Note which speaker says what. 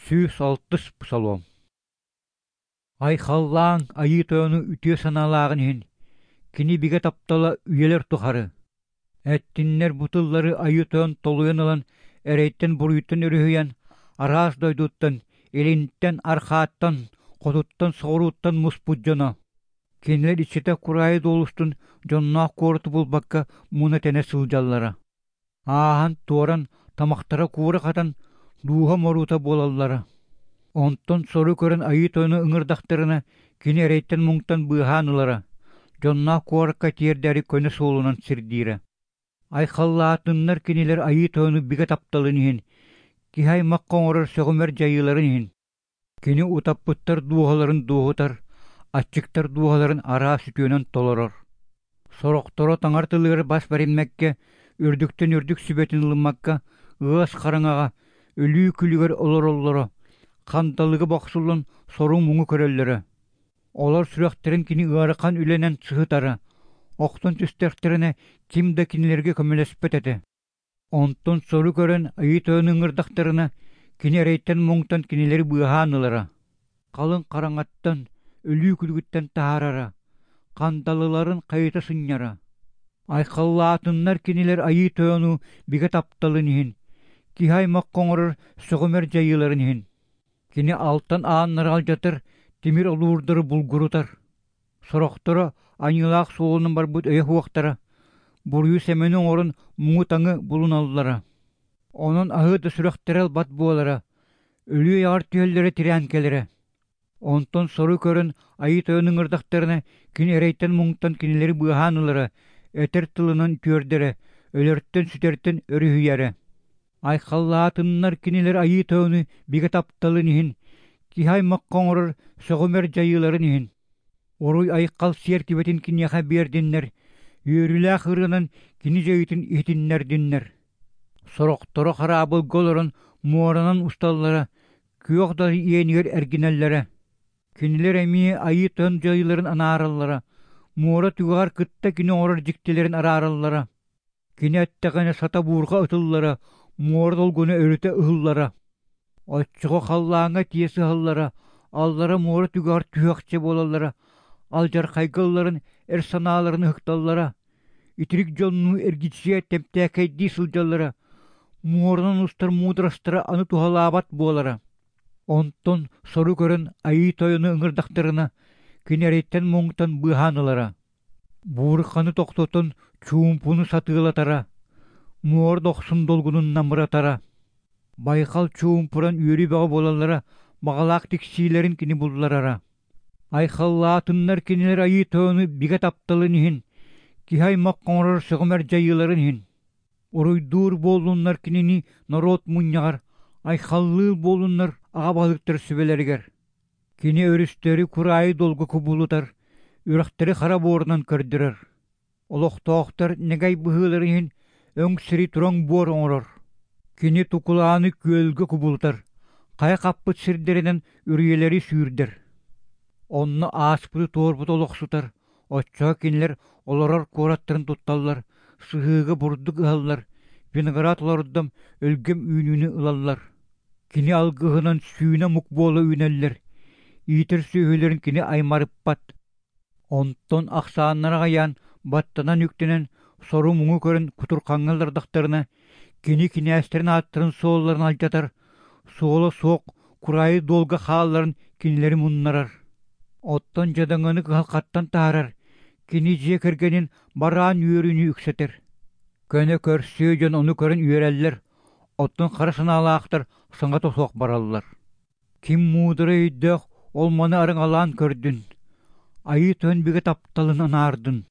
Speaker 1: 106-ыс Псалом. Айхаллааҥ Айыы Тойону үтүө санаалааҕын иһин, кини бигэ таптала үйэлэр тухары. Эттиннэр бу тыллары Айыы Тойон толуйан ылан эрэйтэн-буруйтан өрүһүйэн, араас дойдуттан, илинтэн, арҕааттан, хотуттан, соҕурууттан муспут дьоно. Кинилэр иччитэх кураайы дуол устун дьонноох куораты булбакка муна-тэнэ сылдьаллара. Ааһан туоран, тамахтара куура хатан, дууһа моруута буолаллара. Онтон сору көрөн Айыы Тойону ыҥырдахтарына, кини эрэйтэн-муҥтан быыһаан ылара, дьонноох куоракка тиэрдээри көнө суолунан сирдиирэ. Айхаллаатыннар кинилэр Айыы Тойону бигэ тапталын иһин, киһи аймахха оҥорор сөҕүмэр дьайыыларын иһин. Кини утаппыттар дууһаларын дуоһутар, аччыктар дууһаларын араас үтүөнэн толорор. Сорохторо таҥара тылыгар бас бэриммэккэ, үрдүктэн үрдүк сүбэтин ылыммакка, ыас хараҥаҕа, өлүү күлүгэр олороллоро, ханталыга бохсуллан сору-муҥу көрөллөрө. Олор сүрэхтэрин кини ыарахан үлэнэн сыһытара, охтон түстэхтэринэ ким да кинилэргэ көмөлөспөт этэ. Онтон сору көрөн Айыы Тойону ыҥырдахтарына, кини эрэйтэн-муҥтан кинилэри быыһаан ылара, халыҥ хараҥаттан, өлүү күлүгүттэн таһаарара, хандалыларын хайыта сынньара. Айхаллаатыннар кинилэр Айыы Тойону бигэ тапталын иһин, киһи аймахха оҥорор сөҕүмэр дьайыыларын иһин. Кини алтан ааннары алдьатар, тимир олуурдары булгурутар. Сорохторо аньыылаах суолунан барбыт өйө суохтара, буруйу-сэмэни оҥорон муҥу-таҥы булуналлара. Онон аһыы да сүрэхтэрэ ылбат буолара, өлүү айаҕар түһэллэрэ тирээн кэлэрэ. Онтон сору көрөн Айыы Тойон ыҥырдахтарына, кини эрэйтэн-муҥтан кинилэри быыһаан ылара, этэр тылынан үтүөрдэрэ, өлөртөн-сүтэртэн өрүһүйэрэ. Айхаллаатыннар кинилэр Айыы Тойону бигэ тапталын иһин, киһи аймахха оҥорор сөҕүмэр дьайыыларын иһин. Уруй-айхал сиэртибэтин киниэхэ биэрдиннэр, үөрүүлээх ырыанан кини дьайыытын иһитиннэрдиннэр. Сорохторо хараабылга олорон муоранан усталлара, күөх да иэнигэр эргинэллэрэ. Кинилэр эмиэ Айыы Тойон дьайыыларын анаараллара, муора түгэҕэр кытта кини оҥорор дьиктилэрин араараллара. Кини эттэҕинэ сата буурҕа ытыллара, муора долгуна өрүтэ ыһыллара. Оччоҕо халлааҥҥа тиийэ сыһаллара, аллара муора түгэҕэр түһүөхчэ буолаллара, алдьархайга ылларан эр санааларын ыһыкталлара, итирик дьоннуу эргичийэ тэмтээкэйдии сылдьаллара, муоранан устар муударастара аны туһалаабат буолара. Онтон сору көрөн Айыы Тойону ыҥырдахтарына, кини эрэйтэн-муҥтан быыһаан ылара. Буурҕаны тохтотон чуумпуну сатыылатара, муора дохсун долгунун намыратара. Байҕал чуумпуран үөрүү бөҕө буолаллара, баҕалаах тиксиилэрин кини булларара. Айхаллаатыннар кинилэр Айыы Тойону бигэ тапталын иһин, киһи аймах оҥорор сөҕүмэр дьайыыларын иһин. Уруйдуур буоллуннар кинини норуот мунньаҕар, айхаллыыр буоллуннар аҕа баһылыктар сүбэлэригэр. Кини өрүстэри кураайы дуолга кубулутар, үрэхтэри хара буорунан көрдөрөр. Олохтоохтор нэгэй быһыыларын иһин өҥ сири тураҥ буор оҥорор. Кини тукулааны күөлгэ кубулутар, хайа хаппыт сирдэринэн үрүйэлэри сүүрдэр. Онно ааспыты туорбуту олохсутар, оччоҕо кинилэр олорор куораттарын тутталлар, сыһыыга бурдук ыһаллар, виноград олордон өлгөм үүнүүнү ылаллар. Кини алгыһынан сүүнэ омук буола үүнэллэр, иитэр сүөһүлэрин кини аймарыппат. Онтон ахсааннара аҕыйаан, баттанан үктэнэн, сору-муҥу көрөн кутурхаҥҥа ыллардахтарына, кини кинээстэрин ааттарын суолларын алдьатар, суола суох кураайы дуолга хаалларан кинилэри муннарар. Оттон дьадаҥыны кыһалҕаттан таһаарар, кини дьиэ кэргэнин бараан үөрүүнү үксэтэр. Көнө көрсүө дьон ону көрөн үөрэллэр, оттон хара санаалаахтар саҥата суох бараллар. Ким муударай өйдөөх ол маны арыҥалаан көрдүн, Айыы Тойон бигэ тапталын анаардын.